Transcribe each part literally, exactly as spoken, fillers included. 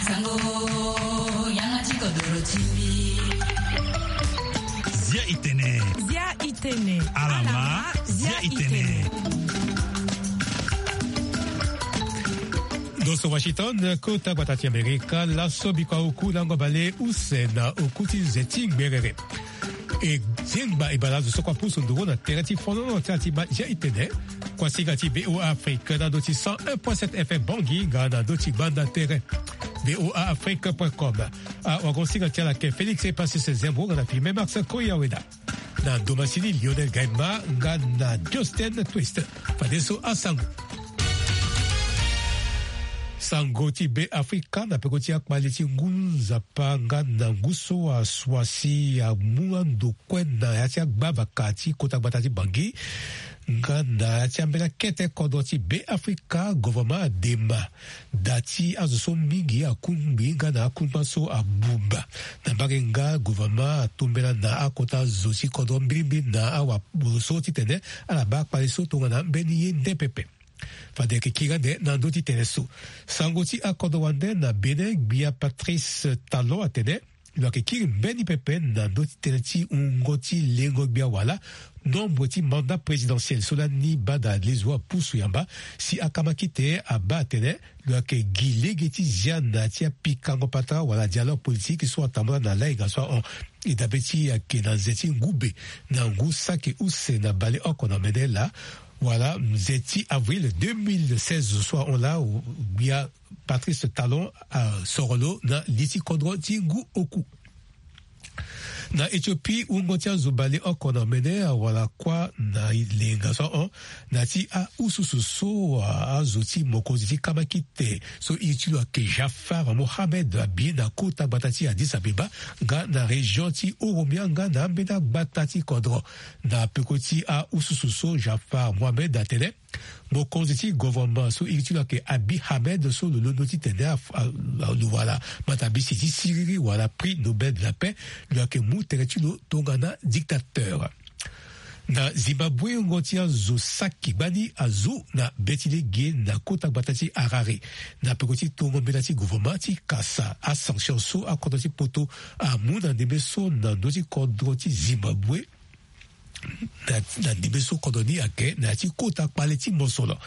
Sango, yanga ti kodoro ti mbi. Zia i tene. Zia i tene. Alama, zia i tene. Ndo so Washington, kota gbata ti Amerika, laso bikua oku lango bale use na oku ti ze ti ngberere. E zengba e bale azo so kua pusu nduru na tere ti fonono ti ala ti ma zia i tene. Kuasinga ti V O A Afrique na ndo ti cent un point sept F M Bangui nga na ndo ti gbanda tere. V O A Afrique point com. Awagosinga ti ala ke Félix Epasis Zembo nga na filme Max Koyaweda. Na domasini Lionel Gaima nga na Justin Twist. Fadeso asango. Sango ti Be Afrika na peko ti akpale ti ngu nzapa nga na ngu so asua si amu ando kue na ya ti agbavaka ti kota gbata ti Bangui. Nga na ya ti ambeni akete kodro ti Be Afrika, governement adema da ti azo so mingi akungbi nga na akungba so abuba. Na mbage nga governement atombela na akota zo ti kodro mbilimbili na awaboro so titene ala baa akpale so tongana mbeni ye nde pepe. Fade ayeke kiri ande na ndö ti tene so. Sango ti akodro wande na Bénin, gbia Patrice Talon atene lo yeke kiri mbeni pepe na ndö ti tënë ti wungo ti lengo gbia wala nombre ti mandat présidentiel so lani bada lezo apusu yamba si akamakite abaa atene lo yeke gi lege ti zia na ya ti apikango patara wala dialogue politique so atambula na lainga so ahon. E dabe ti e ayeke na nze ti ngu be na ngu saki use na baleoko na mene laa wala nze ti avril deux mille seize so ahon laa gbia Patrice Talon asoro lo na li ti kodro ti ngu oku. Na Éthiopie, wungo ti azo baleoko na mene awara kuâ na lenga so ahon na ya ti aususu so azo ti mokonzi ti kamakite so iri ti lo ayeke Jaffar Mohamed abi na kota gbata ti Addis Abeba nga na région ti Oromia nga na ambeni agbata ti kodro. Na peko ti aususu so Jaffar Mohamed atene mokonzi ti gouvernement so iri ti lo ayeke Abiy Ahmed so lo londo titene lo wara matabisi ti siriri wala prix Nobel de la paix, lo yeke mu tere ti lo tongana dictateur. Na Zimbabwe, wungo ti azo saki gbani azo na be ti lege na kota gbata ti Harare na peko ti tongo mbela ti gouvernement ti kasa asanction so akodro ti poto amu na ndembe so na ndö ti kodro ti Zimbabwe. Na ndembe so kodro ni ayeke na ya ti kota kpale ti mosolo.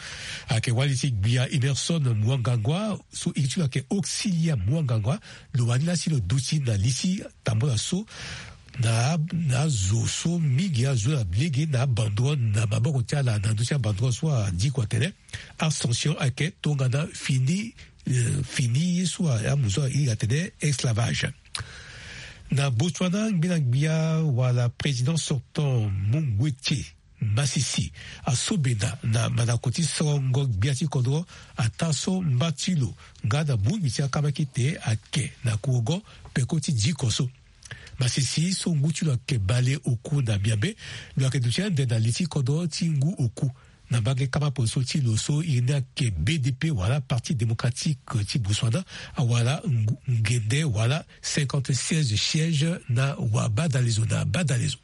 Ayeke wali ti gbia Emerson Mnangagwa so iri ti lo ayeke Auxilia Mnangagwa. Lo wani laa si lo duti na li ti tambula so na azo so mingi azo na lege na abandro na maboko ti ala na ndö ti abandro so adiko atene asanction ayeke tongana fini. Fini ye so amu so airi atene esclavage. Na Botswana, ngbena gbia wala président sortant Mungwete Masisi asobena na mandako ti sorongo gbia ti kodro ataa so mba ti lo nga na bongbi ti akamakite ayeke na kurugo peko ti diko so. Masisi so ngu ti lo ayeke baleoku na miambe, lo yeke duti ande na li ti kodro ti ngu oku. Na mbage kama poso ti lo so iri ni ayeke B D P wala Parti Démocratique ti Botswana awara ngende wala cinquante-seize sièges na wabadalezo na badalezo.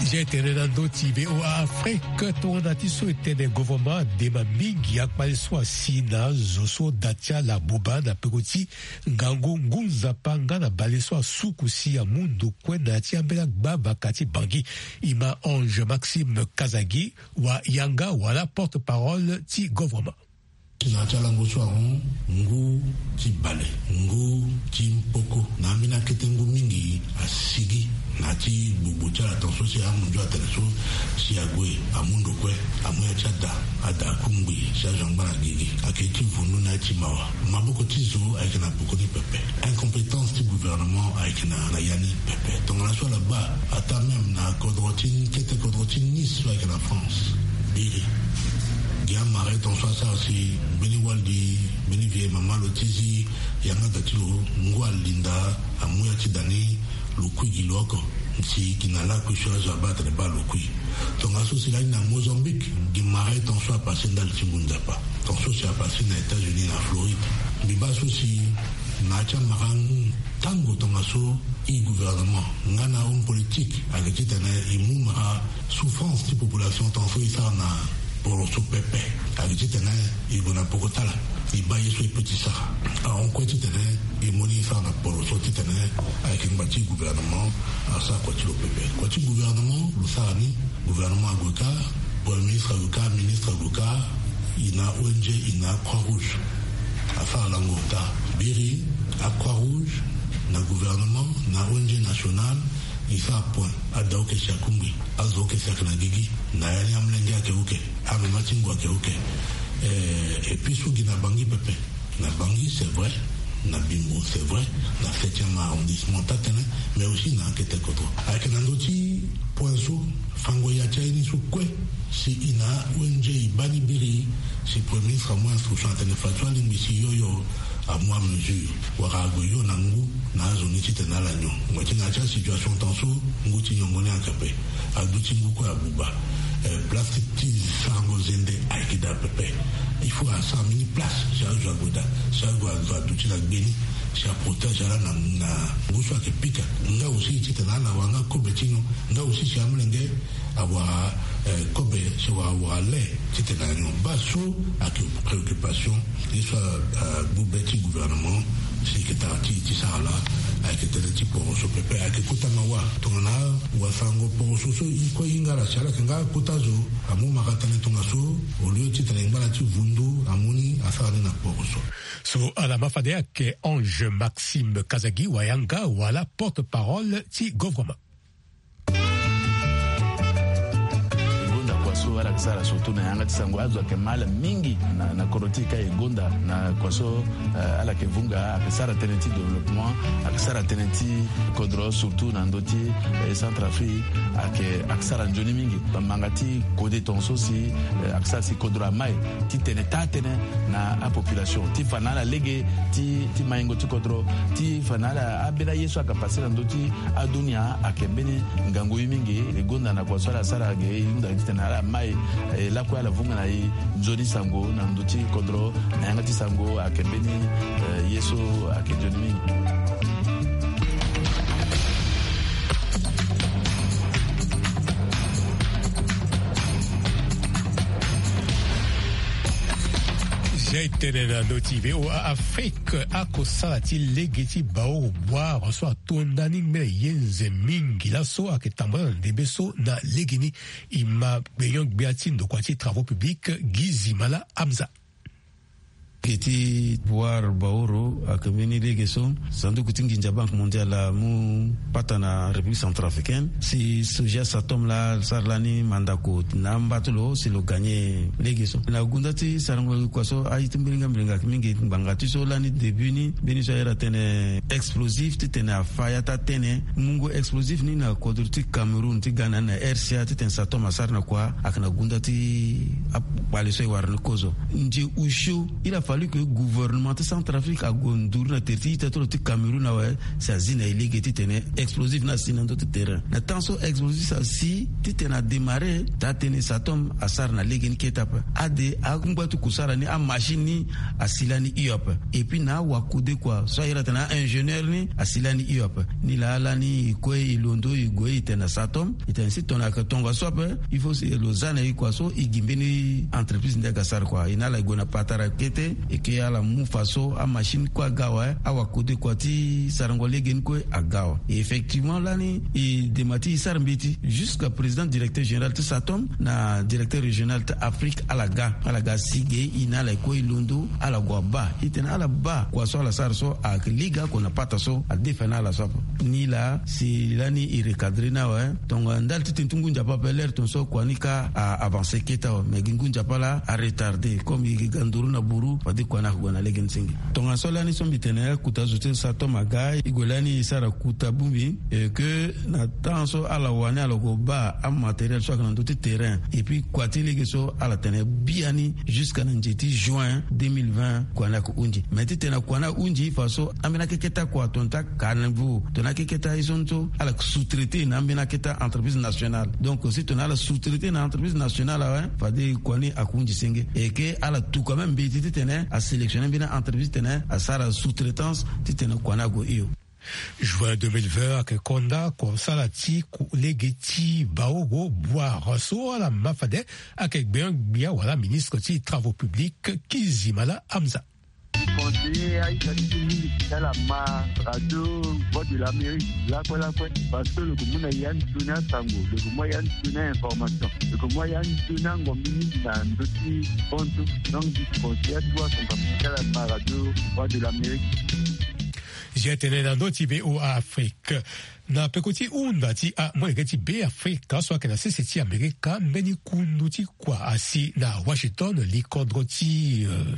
Zia e tene na ndö ti V O A Afrique tongana ti so e tene gouvernement adema mingi akpale so asi na azo so da ti ala abuba na peko ti ngangu ngu nzapa nga na bale so asuku si amu ndo kue na ya ti ambeni agbavaka ti Bangui. E ma Ange Maxime Kazagi wa yanga wala porte-parole ti gouvernement. Na ya ti alango so ahon ngu ti bale, ngu ti mpoko na ambeni akete ngu mingi asigi na ya ti gbogbo ti ala tongaso si amunzu atene so si ague amu ndo kue amu ya ti ada, ada akungbi si azo angba na gigi. Ayeke ti vundu na ya ti mawa. Maboko ti zo ayeke na peko ni pepe. Incompétence ti gouvernement ayeke na, na ya ni pepe. Tongana so ala baa ataa même na kodro ti kete kodro ti Nice so ayeke na France. Biri gi amara tongaso asara si mbeni wali, mbeni vieille mama lo ti zi yanga da ti lo ngu alinda amu ya ti da ni lo kui gi lo oko. Si gi na lakui so azo abaa atene baa lo kui. Tongaso si lani na Mozambique gi mara tongaso apase ndali ti ngu nzapa. Tongaso si apase na États-Unis na Floride. Mbi baa so si na ya ti amara Tango tongaso, e gouvernement nga na homme politique ayeke titene e mu mara souffrance ti population tongaso e sara na poroso pepe. Ayeke titene e gue na poko tala, e baa ye so e pe ti sara. Ahon kue titene e mu ni e sara na poroso titene ayeke ngba ti gouvernement asara kua ti lo pepe. Kua ti gouvernement lo sara ni. Gouvernement ague kâ, premier ministre ague kâ, ministre ague kâ, e na O N G, e na Croix Rouge. Asara lango ota. Biri a Croix Rouge na gouvernement na O N G nationale, e sara point. Ada oke si akungbi, azo oke si ayeke na gigi, na ya ni amolenge ayeke oke, amama ti ngu ayeke oke. Eh, et puis so gi na Bangui pepe. Na Bangui, c'est vrai. Na Bimbo, c'est vrai. Na septième arrondissement, taa tënë, mais aussi na akete kodro. Ayeke na ndö ti point so, fango ya ti aye ni so kue, si e na O N G e baa ni biri, si premier ministre amu instruction atene fadeso alingbi si yo yo amu amesure, wala ague yo na ngu na azo ni titene ala nyon. Ngba ti na ya ti asituation tongaso, ngu ti nyongo ni ayeke ape. Aduti ngu kue abuba. Eh, plastique ti sarango zende ayeke daa pepe. Il faut asara mbeni place si azo ague daa, si azo aduti na gbe ni, si aprotège ala na, na ngu so ayeke pika. Nga aussi titene ala wara nga kobe ti nyon. Nga aussi si amolenge awara, eh, kobe, si awara, awara le titene anyon. Baa so ayeke préoccupation. Ye so, eh, agbu be ti gouvernement si e yeke tara ti, ti sara laa, ayeke tënë ti poroso pepe, ayeke kota mawa. Tongana wasango poroso so e kue e hinga ala si ala yeke nga kota zo, amu mara tënë tongaso, au lieu titene e ngba na ti vundu, amu ni asara ni na poroso. So ala ma fade ayeke Ange Maxime Kazadi Wayanga, wala porte-parole ti gouvernement. E gonda kua so ala yeke sara surtout na yanga ti sango, azo ayeke ma ala mingi na, na kodro ti e ka. E gonda na kua so, eh, ala yeke vunga, ayeke sara tënë ti développement, ayeke sara tënë ti kodro, surtout na ndö ti, eh, Centrafrique, ayeke, ayeke sara nzoni mingi. Bamanga ti kode tongaso si, eh, ayeke sara si kodro amai titene taa tënë na apopulation, ti fa na ala lege ti, ti maingo ti kodro, ti fa na ala ambeni aye so ayeke pase na ndö ti adunia, ayeke mbeni ngangu ye mingi. E gonda na kua so ala sara ge, e hunda titene ala mai, eh, lakue ala vunga na e nzoni sango na ndö ti kodro, na yanga ti sango ayeke mbeni, eh, ye so ayeke nzoni mingi. Zia e tene na ndö ti V O A Afrique, akosala ti lege ti baoro bwara so ato ndani ngbene ye nze mingi laso ayeke tambula na ndembe so na legeni. E ma gbenyo-gbia ti ndokua ti travaux publics, Gizimala Hamza. Lege ti bwara baoro ayeke mbeni lege so sanduku ti nginza Banque Mondiale amu pata na République Centrafricaine, si Soja Satom laa asara lani mandako na amba ti lo si lo gagner lege so. Na gunda ti sarango kua so, aye ti mbiringa mbiringa ayeke mingi. Ngbanga ti so lani début ni, mbeni so ayere atene explosif titene afa ya taa tënë, mungo explosif ni na kodro ti Cameroun ti ga na ni na R C A titene Satom asara na kua, ayeke na gunda ti akpale so e wara ni kozo. Nze osio, il a fallu que gouvernement ti Centrafrique ague nduru na tere ti ita ti lo ti Cameroun awe, si azi na e lege titene explosif ni asi na ndö ti terrain. Na temps so explosif asi titene adémarrer, taa tënë Satom asara na lege ni kete ape. Ade angba ti kusara ni, amachine ni asi lani hio ape. Et puis na awakode kua so ayere atene a-ingénieur ni asi lani hio ape. Nilaa lani e kue e londo e gue e tene na Satom, e tene si tongana ayeke tongaso ape, il faut si lo za na e kua so e gi mbeni entreprise nde aga sara kua. E na ala e gue na patara kete, e ke ala mu fa so amachine kue aga awe, awakode kua ti sarango lege ni kue aga awe. Et effectivement lani e dema ti e sara mbeti jusqu'à président directeur général ti Satom na directeur régional ti Afrique, ala ga, ala ga si ge, e na ala e kue e londo, ala gue abaa. E tene ala baa kua so ala sara so ayeke lege oko na pata so adefa na ala so ape. Nilaa si lani e recadrer ni awe, tongana ndali ti tene ti ngu nzapa ape, l'heure tongaso kua ni kâ a avancer kete awe, mais gi ngu nzapa laa a retarder. Comme e ga nduru na buru, fade kua ni ayeke gue na lege ni senge. Tongaso lani so mbi tene, akuta zo ti Satom aga, e gue lani e sara kuta bongbi, et que na temps so ala wani ala gue baa amatériel so ayeke na ndö ti terrain, et puis kua ti lege so ala tene biani jusqu'à na nze ti juin deux mille vingt, kua ni ayeke hunzi. Mais titene kua ni ahunzi, fa so ambeni akeketa kua, tongana ti caniveau, tongana akeketa ye so ni so, ala yeke sous-traiter na ambeni akeketa entreprise nationale. Donc si tongana ala sous-traiter na entreprise nationale awe, fade kua ni ayeke hunzi senge. Et que ala tuka même mbeti titene asélectionner mbeni entreprise titene asara sous-traitance titene kua ni ague hio. Juin deux mille vingt ayeke konda kosala ti lege ti baoro boire so ala ma fade ayeke gbengbia wala ministre ti travaux publics Kizimala Hamza. Conseiller aita ti mingi ti ala ma radio Voix de l'Amérique lakue lakue, parce que lo ko mu na ya ni toni asango, lo ko mu ya ni toni a information, lo ko mu ya ni toni angombi mingi na ndö ti konso. Donc di conseiller atu asango ti ala ma radio Voix de l'Amérique. Zia tene na ndö ti VOA Afrique. Na peko ti hunda ti amolenge ti Beafrika so ayeke na sese ti Amerika, mbeni kundu ti kua asi na Washington, li kodro ti, euh,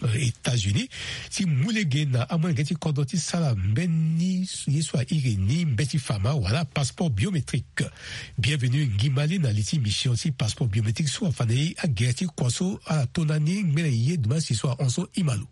euh, États-Unis, ti mu lege na amolenge ti kodro ti sara mbeni ye so airi ni mbeti fama wala passeport biométrique. Bienvenu Ngimale na li ti mission ti passeport biométrique so afa na e agere ti kua so ala to na ni ngbene ye dumasi so ahon so i ma lo.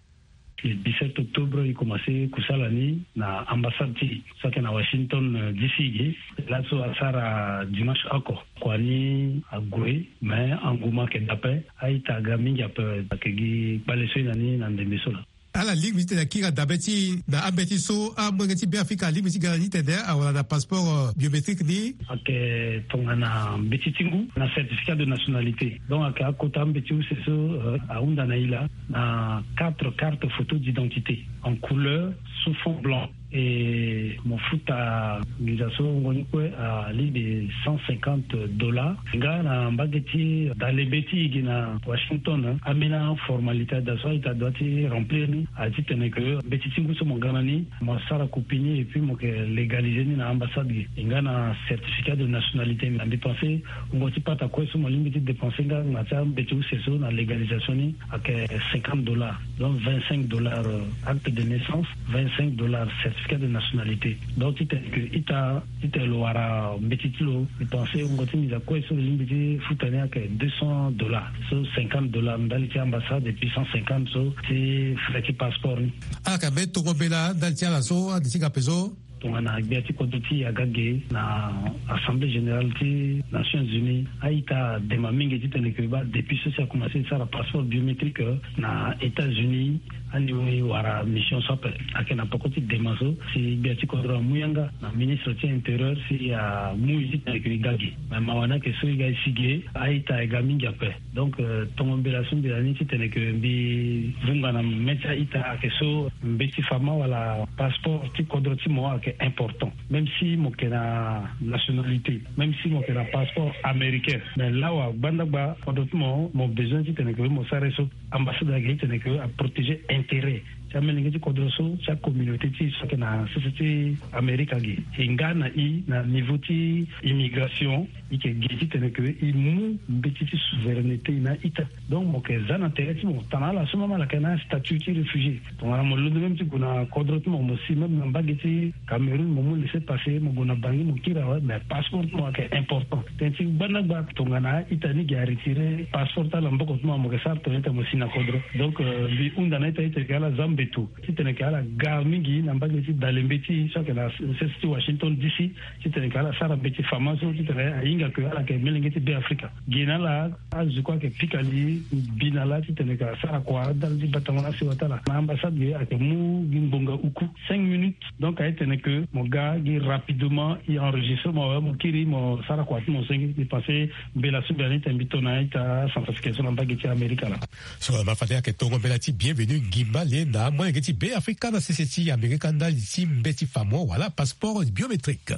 Le dix-sept octobre, e commencé kusala ni na ambassade ti e so ayeke na Washington, euh, D C ge. Laso asara dimanche oko. Kua ni ague, mais anguma ayeke dape. A-ita aga mingi ape, ayeke gi kpale so e na ni na ndembe so laa. Ala lingbi ti tene akiri na dabe ti e na ambeti so amolenge ti Beafrika alingbi ti ga na ni tene awara na passeport, euh, biométrique ni. Ayeke tongana mbeti ti ngu na certificat de nationalité. Donc ayeke akota ambeti use so, euh, ahunda na e laa na quatre cartes photo d'identité en couleur sous fond blanc. E mo futa nginza so ngoni kue alingbi cent cinquante dollars. Nga na mbage ti dale be ti e gi na Washington, ambeni aformalité ada so a-ita adoit ti remplir ni, a titene ke mbeti ti ngu so mo ga na ni, mo sara copie ni et puis mo yeke légaliser ni na ambassade gi. E nga na certificat de nationalité, na mbi pensé wungo ti pata kue so mo lingbi ti dépenser nga na ti ambeti use so na légalisation ni ayeke cinquante dollars. Donc vingt-cinq dollars, euh, acte de naissance, vingt-cinq dollars certificat de nationalité. Donc titene ke ita, titene lo wara mbeti ti lo, mbi pensé wungo ti nginza kue so lo lingbi ti futa ni ayeke deux cents dollars. So cinquante dollars ndali ti ambassade et puis cent cinquante so ti frais ti passeport ni. Ala yeke mbeni tongo mbela ndali ti ala so ande ti ga ape so. Tongana gbia ti kodro ti e aga ge na Assemblée générale ti Nations Unies, a-ita adema mingi titene ke ba depuis so si akomanse sara passeport biométrique na États-Unis, aniwe wara mission so ape. Ayeke na peko ti dema so si gbia ti kodro amu yanga na ministre ti intérieur si amu e titene ke e ga ge. Me mawa ni ayeke so e ga e si ge, a-ita e ga mingi ape. Donc, euh, tongo mbela so mbi na ni titene ke mbi vunga na mê ti a-ita ayeke so mbeti fama wala passeport ti kodro ti mo ayeke important. Même si mo yeke na nationalité, même si mo yeke na passeport américain, mais lawa gbandagba kodro ti mo, mo besoin titene ke mo sara ye so ambassade ayeke titene ke aprotéger intérêt ti amolenge ti kodro so, ti acommunauté ti e so ayeke na sese ti Amérique agi. E nga na e na niveau ti immigration, e yeke gi titene ke e mu mbeti ti souveraineté na ita. Donc mo yeke za na tere ti mo tana ala so même ala yeke na statut ti réfugié. Tongana mo londo même ti gue na kodro ti mo, mo si même na mbage ti Cameroun mo mu laisser-passer, mo gue na Bangui mo kiri awe, mais passeport ti mo ayeke important. Tënë ti gbandagba tongana ita ni gi aretirer passeport ti ala maboko ti mo, mo yeke sara tongana ita mo si na kodro. Donc, euh, mbi hunda na ita, ita yeke ala za mbeto titene ke ala ga mingi na mbage ti dale mbeti so ayeke na sese ti Washington D C, titene ke ala sara mbeti fama so titene ahinga ke ala yeke molenge ti Beafrika. Gi na ala azo kue ayeke pika li mbi na ala titene ke asara kua ndali ti batango na asewa ti ala. Na ambassade ge ayeke mu gi ngbonga uku, cinq minutes. Donc aye tene ke mo ga gi rapidement, e enregistré mo awe, mo kiri mo sara kua ti mo senge. Mbi pensé mbela so mbi na ni tene mbi to na ita acentrafricain so na mbage ti Amerika laa. So ma fade ayeke tongo mbela ti Bienvenu Ngimba le na amolenge ti Beafrika na sese ti Amerika ndali ti mbeti famo wala passeport biométrique.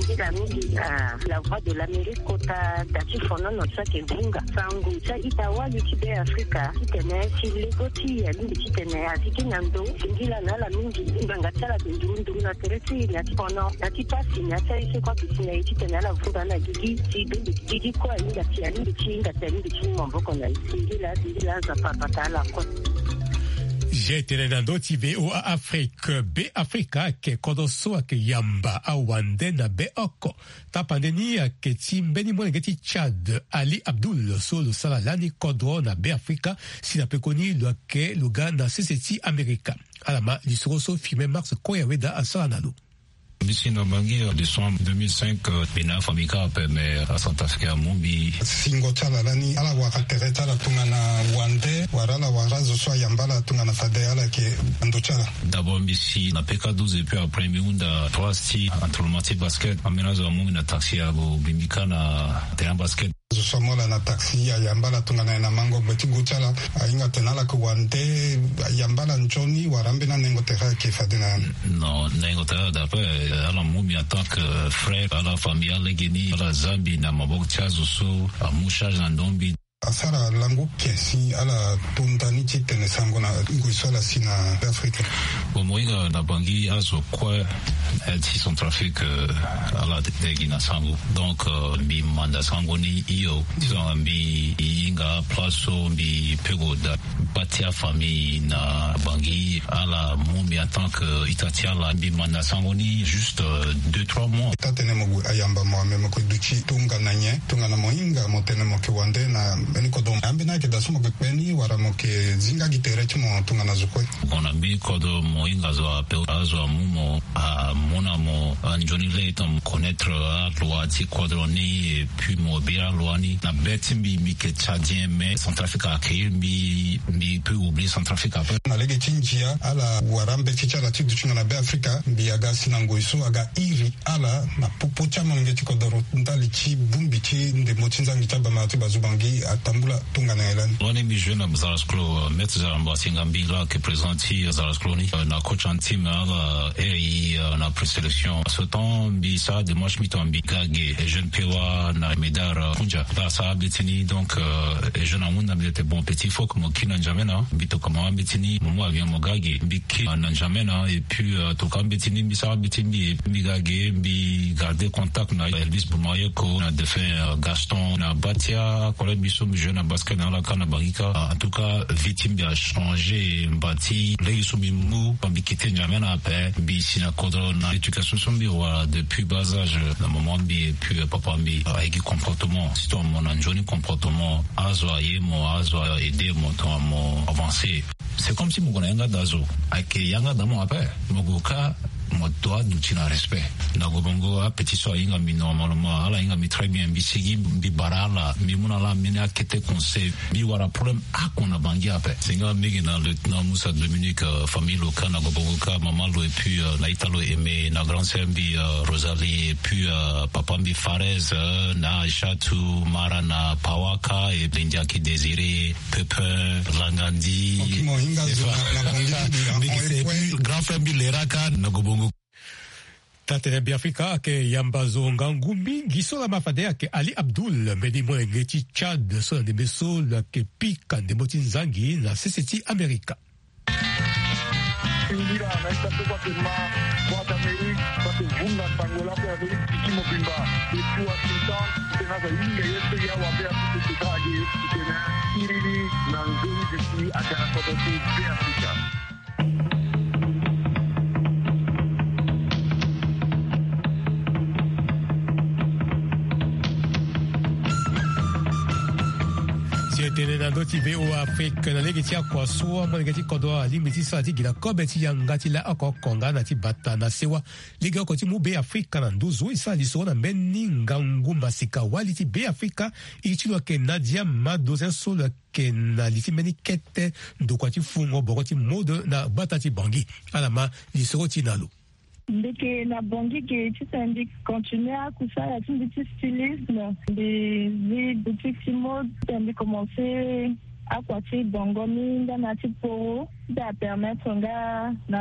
Nzila mingi, ah, La Voix de l'Amérique kota da ti fonono so ayeke vunga sango ti a-ita wali ti Beafrika titene si lego ti e alingbi titene azi gi na ndo. Singila na ala mingi, ngbanga ti ala ayeke nduru nduru na tere ti e, na ti fono, na ti pasi, na ti aye so kue ayeke si na e titene ala vunga na gigi ti dongi gigi kue ahinga ti, alingbi ti hinga ti, alingbi ti mu maboko na e. Singila, singila, Nzapa abata ala kue. Zia e tene na ndö ti VOA Afrique. Beafrika ayeke kodro so ayeke yamba awande na beoko. Tapande ni ayeke ti mbeni molenge ti Tchad, Ali Abdoul, so lo sara lani kodro na Beafrika, si na pekoni lo yeke lo ga na sese ti Amerika. Ala ma lisoro so Firmin Max Koyaweda asara na lo. Mbi si na Bangui, euh, décembre deux mille cinq, euh, mbi na afamille kâ ape, mais, euh, aCentrafrique amu mbi. Singo ti ala lani, ala wara tere ti ala tongana wande, wala ala wara azo so ayamba ala tongana fade ala yeke na ndo ti ala. D'abord mbi si na P K douze, et puis après mbi hunda trois ti entraînement ti basket. Ambeni azo amu mbi na taxi, ague mbi kâ na terrain basket. Zo so amu ala na taxi ayamba ala tongana nyen na mango gbe ti gu ti ala, ahinga atene ala yeke wande, ayamba ala nzoni wala ambeni anengo tere ayeke fade na ya ni? Non, nengo tere d'après, euh, ala mu mbi en tant que, euh, frère, ala famille, ala legeni, ala zia mbi na maboko ti azo so amu charge na ndo mbi. Asara lango ake si ala to ndani ti tene sango na ngoi so ala si na Afrika. Bon, mo hinga na Bangui azo kue, eh, ti Centrafrique, euh, ala lege na sango. Donc, euh, mbi manda sango ni hio. Disons, mbi hinga place so mbi peut gue daa. Bâ ti afamille na Bangui, ala mu mbi en tant que ita ti ala. Mbi manda sango ni juste, euh, deux, trois mois. Taa tene mo gue ayamba mo, me mo yeke duti tongana nyen? Tongana mo hinga mo tene mo yeke wande na mbeni kodro, ambeni ayeke daa so mo yeke kpe ni wala mo yeke zi nga gi tere ti mo tongana zo kue? Mo na mbeni kodro mo hinga zo ape, azo amu mo, amu na mo, ah, nzoni lê tongana mo connaître, ah, aloi ti kodro ni, et puis mo bira aloi ni. Na be ti mbi, mbi yeke Tchadien, mais Centrafrique a accueillir mbi, mbi peut oublier Centrafrique après. Na lege ti ndia, ala wara mbeti ti ala ti duti nga na Be Afrika, mbi aga si na ngoi so aga iri ala na popo ti amolenge ti kodoro ndali ti bongbi ti ndembo ti nzangi ti abamara ti bazu Bangui atambula tongana nyen lani? Wani mbi jouer na Zarasclo, euh, Maître Zara Mbasinga, mbi laa ayeke président ti Zarasclo ni, euh, na coach en team, euh, ala iri, euh, na présélection. Ce temps mbi sara démarche, mbi tongana mbi ga ge, et jeune P W A na Medard, euh, Koundja. Ala sara mbeti ni, donc, euh, et jeune ahunda mbi tene bon petit, faut que mo kiri na N'Djamena. Mbi tokua mo ambeti ni, mo mu avion mo ga ge. Mbi kiri na N'Djamena, et puis, euh, tokua ambeti ni, mbi sara mbeti mbi, mbi ga ge, mbi garder contact na Elvis Boumayoko, na défunt, euh, Gaston, na bâ ti acollègue mbi so mbi jouer na basket na ala kâ na Bangui kâ. En tout cas, vie ti mbi achanger, mba ti lege so mbi mu, mbi quitter N'Djamena ape, mbi si na kodro na éducation so mbi wara depuis bas âge na maman mbi, et puis, euh, papa mbi, euh, ayeke gi comportement. Surtout mo na nzoni comportement, azo aye mo, azo a aider mo tongana mo avancer. C'est comme si mo gue na yanga daa zo. Ayeke yanga daa mo ape. Mo gue kâ, mo doit duti na respect. Na gue bongo apetit so ahinga mbi normalement, ala hinga mbi très bien, mbi sigi, mbi bara ala, mbi mu na ala mbeni akete conseil. Mbi wara problème oko na Bangui ape. Si nga mbi yeke na lieutenant Moussa Dominique, euh, famille lo kâ, na gue bongo kâ, maman lo, et puis, euh, na ita lo Aimé, na grande sœur mbi, euh, Rosalie, et puis, euh, papa mbi Farez, euh, na Aïchatou, Mara, na Pawaka, et Lindiaki Désiré, Pépin, Langandi. Ok, mo hinga zo na, na Bangui, mbi yeke, et puis grand frère mbi Leraka, na gue bongo. Taa tene Be Afrika ayeke yamba zo ngangu mingi so lama fade ayeke Ali Abdoul, mbeni molenge ti Tchad so na ndembe so lo yeke pika ndembo ti nzangi na sese ti Amerika. Singila na ita so kue ayeke ma Voix d'Amérique, so ayeke vunga sango lakue na Amérique ti mobimba. Depuis Washington, tena aza hinga ye so ya wa Be Afrika ti tara ge ti tene iri ni na nzoni duti aga na kodro ti Be Afrika. Si e tene na ndö ti V O A Afrique, na lege ti akua so amolenge ti kodro alingbi ti sara ti gi na kobe ti yanga ti la oko oko nga na ti bata na sewa. Lege oko ti mu Be Afrika na nduzu e sara lisoro na mbeni ngangu masika wali ti Be Afrika. Iri ti lo ayeke Nadia Madozen so lo yeke na li ti mbeni kete ndokua ti fungo boro ti mode na gbata ti Bangui. Ala ma lisoro ti na lo. Mbi yeke na Bangui ge titene mbi continuer akusala ti mbi ti stylisme. Mbi zi boutique ti mode titene mbi commencer akua ti bongo ni ndana ti poro. Ti apermettre nga na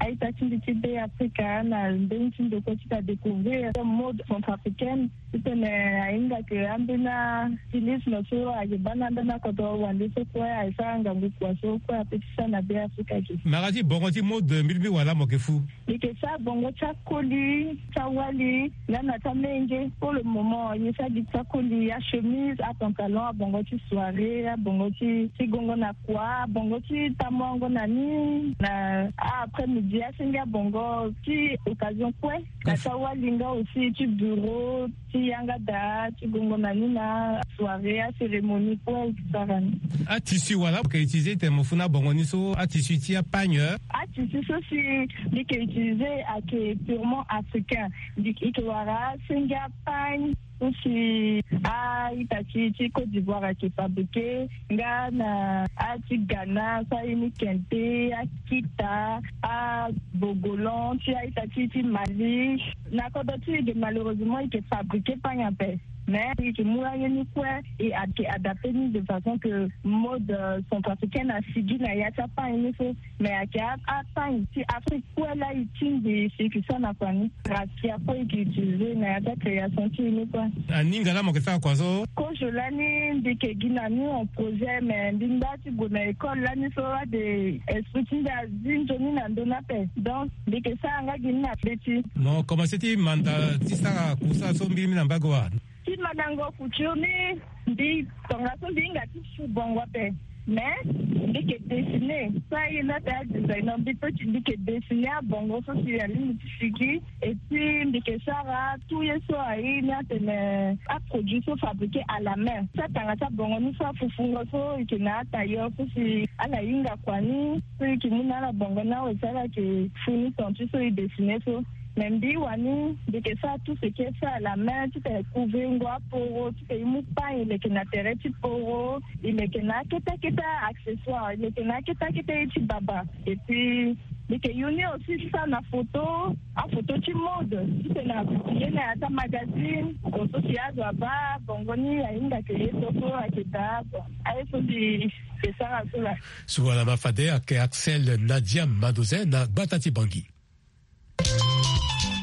a-ita ti mbi ti Be Afrika na mbeni ti ndokua ti ta découvrir mode centrafricaine. Titene ahinga ke ambeni astylisme so ayeke baa na ambeni akodro wande so kue ayeke sara ngangu kua so kue ape ti sara na Be Afrika ge. Mara ti bongo ti mode mbi lingbi wala mo yeke fu? Mbi yeke sara bongo ti akoli, ti awali, nga na ti amenge. Pour le moment, mbi sara gi ti akoli, achemise, apantalon, abongo ti soirée, bongo ti ti gongo na kua bongo ti tamuango na ni na après midi asenge abongo ti occasion kue na ti awali nga aussi ti bureau ti yanga daa ti gongo na ni na soirée acérémonie kue ti sara ni. Atissu wala mo ke utiliser tene mo fu na bongo ni so atissu ti apagne. Atissu so si mbi ke utiliser ake purement africain. Mbi ke wara asenge apagne so si a-ita ti ti côte d'ivoire ake fabriquer nga na ati ghana so aye ni kente akita abogolan ti a-ita ti ti mali. Na kodro ti e ge malheureusement e ke fabriquer pagne ape. Mais e ke mu aye ni kue e ake adapter ni de façon que mode centrafricaine asigi na ya ti apagne ni so. Mais ake apagne ti afrique kue la e tingbi si e ke sara na kua ni. Rakia kue e ke utiliser na ya ti acréation ti e ni kue. Aninga la mo ke sara kua so? Kozo lani mbi ke gi na ni en projet mais mbi ngba ti gue na école lani so ade esprit ti mbi azi nzoni na ndoni ape. Donc mbi ke sara nga gi ni na be ti. Mo commencer ti manda ti sara kusa so mbiri mbi na mbago wa? Ti mandango futur ni mbi tongaso mbi hinga ti fu bongo ape. Mais mbi ke dessiner so aye na ate adesigner mbi pe ti mbi ke dessiner abongo so si alingbi ti sigi. Et puis mbi ke sara tout ye so aye ni atene aproduit so fabriquer à la main ti atanga ti abongo ni so afufungo so e ke na atailleur so si ala hinga kua ni so e ke mu na ala bongo ni awe si ala ke fu ni ton ti so e dessiner so. Mais mbi wani mbi ke sara tout ce qui est fait à la main ti tene couver ngo aporo ti tene e mu pagne e leke na tere ti poro e leke na akete akete accessoire e leke na akete akete ye ti baba. Et puis mbi ke yu ni aussi ti sara na photo afoto ti mode ti tene apublie na ya ti amagazine. Bon so si azo abaa bongo ni ahinga ke ye so so ake daa bon aye so mbi ke sara so la. Suala ma fade ake axel nadia madoze na gbata ti bangi.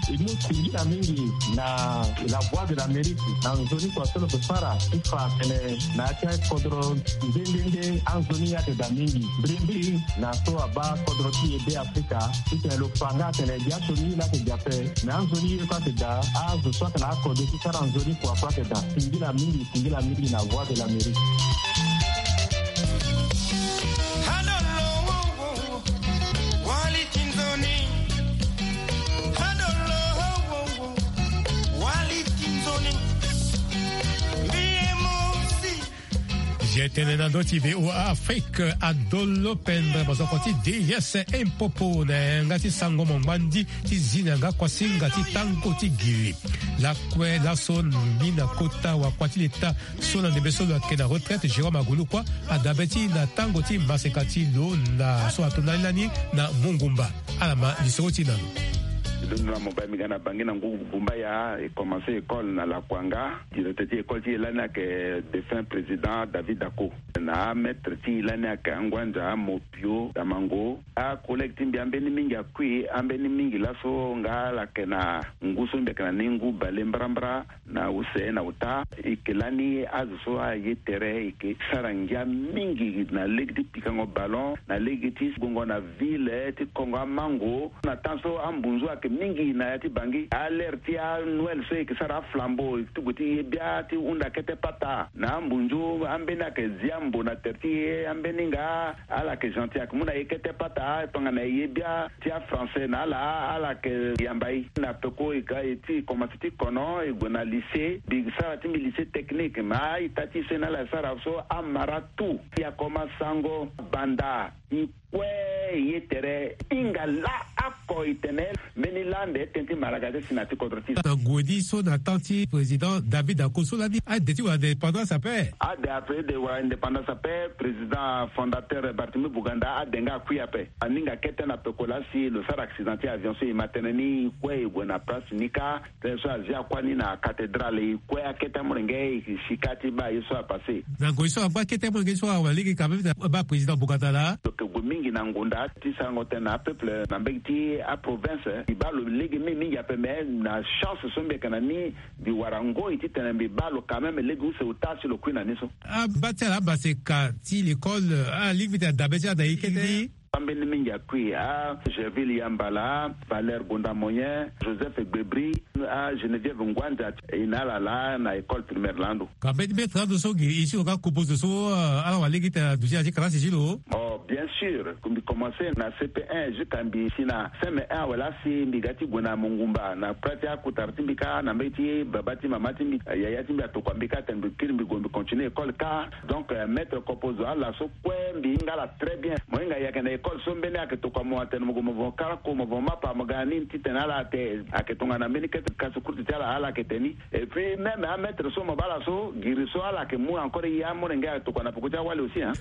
E mu singila mingi na la voix de l'amérique na nzoni kua so lo ke fara ti fa tene na ya ti akodro nde nde nde anzoni ade daa mingi mbirimbiri na so abaa kodro ti e be afrika ti tene lo fa nga atene gi asioni ye laa ake gi ape. Me anzoni ye kue ake daa azo so atene akode ti sara nzoni kua kue ake daa. Singila mingi singila mingi na voix de l'amérique. Jetene na ndö ti voa afrique adolo pendre mazoko ti ds impopo na yanga ti sango mongbandi ti zi na yanga kuasinga ti tango ti giri. Lakue laso ni na kota wakua ti leta so na ndembe so lo yeke na retraite jérôme agulu kua adabe ti na tango ti maseka ti lo na so ato ndani lani na mongumba. Ala ma lisoro ti na lo. Londo na mobali mi ga na bangi na ngu gumbaya e commence école na lakuanga. Directeur ti école ti e lani ayeke défunt président david dako na amaître ti e lani ayeke anguanza mopio damango. Acollègue ti mbi ambeni mingi akui ambeni mingi laso nga ala yeke na ngu so mbi yeke na ni ngu bale mbrambra. Na use na ota e ke lani azo so aye tere e ke sara ngia mingi na lege ti pikango ballon na lege ti gongo na ville ti kongo amango. Na temps so ambunzu ayeke mingi na ya ti bangi alere ti anoel so e ke sara aflambo ti gue ti ye bia ti hunda kete pata na ambunzu ambeni ayeke zi ambo na tere ti e ambeni nga ala yeke gentil ayeke mu na e kete pata tongana e ye bia ti afrançais na ala ala yeke yamba e na peko e ga e ti e komanse ti kono e gue na lycée mbi sara ti mbi lycée technique me a-ita ti e so e na ala e sara so amara tout. Ti akoma sango banda e kue e ye tere hinga laa oko e tene mbeni lande tënë ti maraga ti asi na ya ti kodro ti e. Na gue ni so na temps ti président david ako so lani ade ti wara indépendance ape. Ade ape de wara indépendance ape président fondateur barthélemy buganda ade nga akui ape. Aninga kete na peko laa si lo sara accident ti avion so e ma tënë ni e kue e gue na place ni kâ. Tënë so azia kuâ ni na cathédrale e kue akete amolenge e si kâ ti baa ye so apasse. Na ngoi so agba kete amolenge so awa lege quand même na baa président buganda laa. Lo yeke gue mingi na ngonda ti sarango tënë na apeuple na mbege ti aprovince. E baa lo lege mingi mingi ape me na chance so mbi yeke na ni mbi wara ngoi titene mbi baa lo quand même lege use ota si lo kui na ni so. Abaa ti ala amaseka ti l'école alingbi ti adabe ti ala na e kete. Ambeni mingi akui, a Gerville Yambala, Valère Gonda Moyen, Joseph Gbebri, a Geneviève Ngwanda, e na ala laa na école primaire laa ndo. Ka mbeni maître ando so gi isi lo ka composer so, euh, ala wara lege ti tene aduti na ya ti kalasi ti lo. Oh, bien sûr, mbi commencer na C P un jusqu'à mbi si na C M un awe laa si mbi ga ti gue na Mongumba na prêt ti akutara ti mbi kâ na mbage ti baba ti mama ti mbi, yaya ti mbi atokua mbi kâ tene mbi kiri mbi gue mbi continuer école kâ. Donc, euh, maître composer ala so kue mbi hinga ala très bien. Mo hinga ayeke na école so mbeni ayeke tokua mo atene mo gue mo von karako mo von mapa mo ga na nini titene ala ate ayeke tongana mbeni kete kasi kurti ti ala ala yeke tene ni. Et puis même amaître so mo baa ala so giri so ala yeke mu encore ye amolenge ayeke tokua na peko ti awali aussi, hein.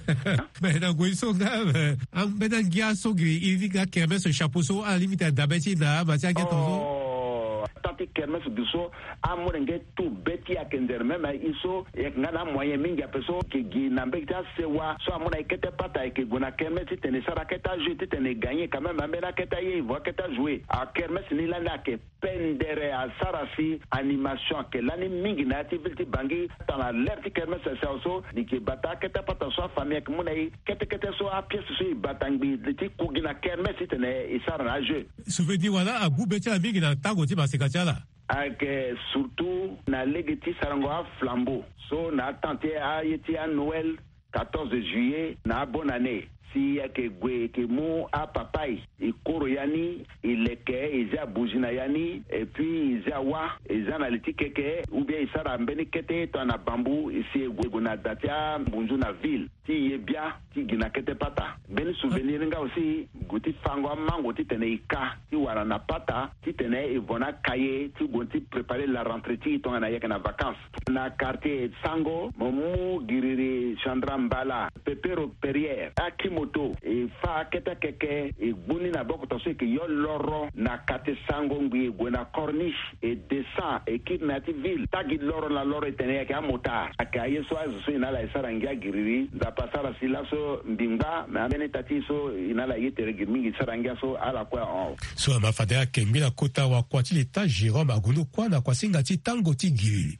Mais na ngoi so nga, eh, ambeni angia so giri iri ti ga kermesse chapeau so ala lingbi tene dabe ti na ama ti angia tongaso. Oh, ata ti kermesse du so amolenge tout be ti e ayeke nzere même e so e yeke nga na amoyen mingi ape so e yeke gi na mbage ti asewa so amu na e kete pata e yeke gue na kermesse titene e sara akete ajeu titene e gagner quand même ambeni akete aye e vo akete ajoue. Akermesse ni lani ayeke pendere asara si animation ayeke lani mingi na ya ti ville ti Bangui. Tongana l'heure ti kermesse asi awe so e yeke bata akete apata so afamille ayeke mu na e kete kete so apièce so e bata ngbii ti ku gi na kermesse titene e sara na ajeu. Souvenir wala agbu be ti ala mingi na tango ti maseka ti ala. Ayeke surtout na lege ti sarango aflambeau so na atemps ti aye ti anoël, quatorze juillet na abonne année. Si e yeke gue e yeke mu apapaye e koro ya ni, e leke, e zia bougie na ya ni, et puis e zia wâ, e zia na li ti keke ou bien e sara mbeni kete tongana bambou, e si e gue e gue na da ti ambunzu na ville ti e ye bia ti gi na kete pata. Mbeni souvenir ni nga aussi gue ti fango amango titene e ka ti wara na pata titene e vo na akaye ti gue ti préparer la rentrée ti e tongana e yeke na vacances. Na quartier Sango mo mu giriri Chandra Mbala, Pepero Perrière, akimoto e fâ akete akeke e gbu ni na boko tongaso e yeke yo loro na quartier Sango ngbii e gue na corniche e descend e kiri na ya ti ville. Tagi loro na loro e tene e yeke amotard. Ayeke aye so azo so e na ala e sara ngia giriri. Nzapa asara si laso mbi ngba me ambeni ita ti e so e na ala ye tere giri mingi e sara ngia so ala kue ahon. So ama fade ayeke mbi na kota wakua ti leta Jérôme Agulu kuâ na kuasinga ti tango ti giriri.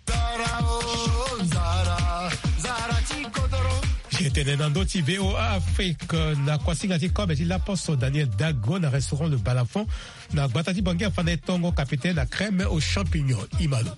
Zara o, zara, zara ti kodoro. Tene na ndö ti V O A Afrique na kuasinga ti kobe ti laposo Daniel Dago na restaurant Le Balafon na gbata ti Bangui afa na e tongo capitaine na crème aux champignons. Imalo.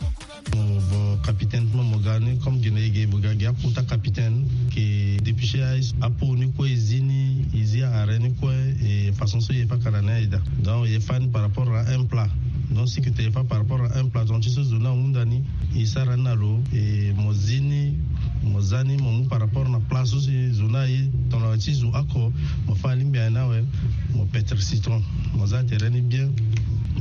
Mo vo capitaine ti mo mo ga ni comme gi na e ge vo ga gi akota capitaine ke dépuché apo ni kue e zi ni e zi arrêt ni kue. E façon so e fa kara ni aye daa. Donc e fa ni par rapport à un plat. Donc si ke te e fa par rapport à un plat donc ti so zo ni ahunda ni e sara ni na lo e mo zi ni mo za ni mo mu par rapport na plat so si zo ni aye. Tongana ti zo oko mo fa alingbi aye ni awe. Mo petre citron mo za tere ni bien.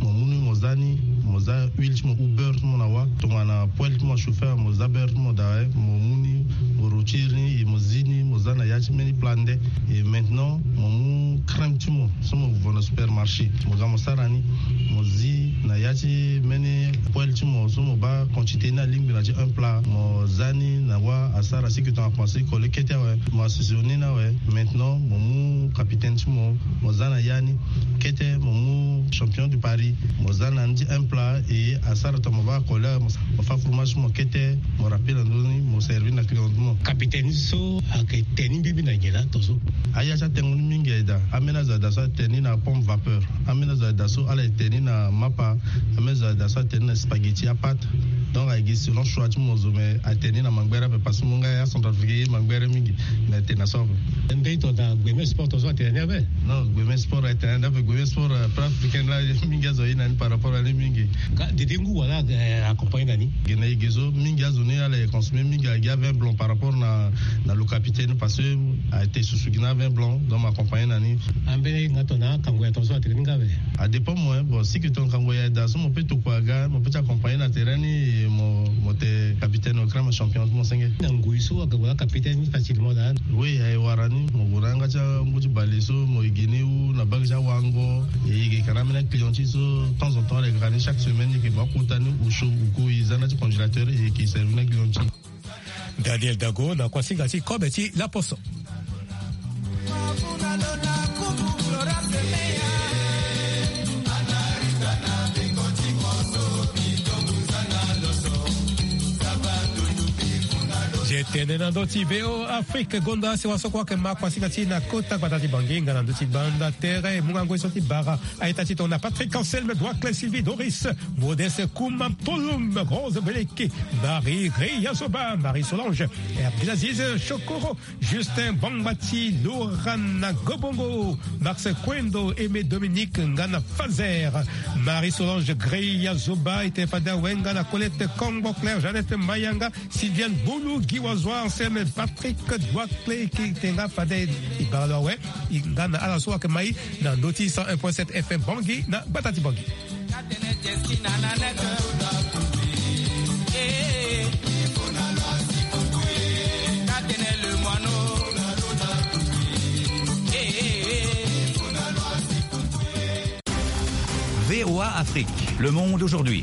Mo mu ni mo za ni mo za huile ti mo ou beurre ti mo na wâ. Tongana poêle ti mo achauffé awe mo za beurre ti mo daa awe mo mu ni mo rotire ni e mo zi ni mo za na ya ti mbeni plat nde. E maintenant mo mu crème ti mo so mo vo na supermarché mo ga mo sara ni mo zi na ya ti mbeni poêle ti mo so mo baa quantité ni alingbi na ti un plat mo za ni na wâ asara si ke tongana commencé kole kete awe mo assaisonné ni awe. Maintenant mo mu capitaine ti mo mo za na ya ni kete mo mu champion du paris mo za na ni ti un plat e asara tongana mo baa kole awe mo fa fromage ti mo kete mo rappelé na ndö ni mo servir na client ti mo. Capitaine so ayeke te ni mbibi na nyen laa tongaso? Aya ti atengo ni mingi aye daa. Ambeni azo aye daa so ate ni na pompe vapeur. Ambeni azo aye daa so ala ye te ni na mapa. Ambeni azo aye daa so ate ni na spaghetti apâte. Donc aye gi selon choix ti mo zo me ate ni na mangbere ape parce que mo nga ya centrafricain ye mangbere mingi. Me ate na so ape. Mbeni tongana gbe me sport tongaso ate na ni ape? Non gbe me sport ate na ni ape gbe me sport, euh, plat africain laa mingi azo aye na ni par rapport na ni mingi. Ka dede ngu wala, eh, accompagné na ni? Gene e ge so mingi azo ni ala ye consommé mingi aye gi avin blanc par rapport na na lo capitaine parce que ate susu gi na avin blanc donc mo accompagné na ni. Ambeni nga tongana akango ya tongaso ate ni nga ape? Adépend mo hein bon si ke tongana kango ya daa so mo pe tokua aga mo pe ti accompagné na terrain ni e mo mo te capitaine au crème champion ti mo senge. Na ngoi so aga wala capitaine ni facilement daa? Oui aye wara ni mo gue na yanga ti angu ti bale so mo ye gi ni ou na bage ti awango e yeke ka na ambeni aclient ti so temps en temps ala yeke ka ni chaque semaine e yeke mo akota ni ou chaud ou ko e za na ti congélateur e yeke servir na client ti. Daniel Dago na kuasinga ti kobe ti laposo. Tene na ndö ti V O A Afrique, gonda si wasoko ayeke ma kua sika ti na kota gbata ti Bangui nga na ndö ti banda tere, mu nga ngoi so ti bara. A-ita ti tongana Patrick Anselme, Doicle Sylvie Doris, Modeste Kouma Mpolum, Rose Beleke, Marie Greya Zoba, Marie Solange, Abdelaziz Chokoro, Justin Bangbati, Laurana Gobongo, Max Kwendo, Aimé Dominique nga na Fazer, Marie Solange Greya Zoba, ete fade awe nga na Colette Kongo, Claire Jeannette Mayanga, Sylviane Bulu, Guy Wazoir, Anselme Patrick Doicle, ki te nga fade e bara lo awe, e nga na ala so ayeke mai na ndö ti cent un point sept F M Bangui na gbata ti Bangui. V O A Afrique, le monde aujourd'hui.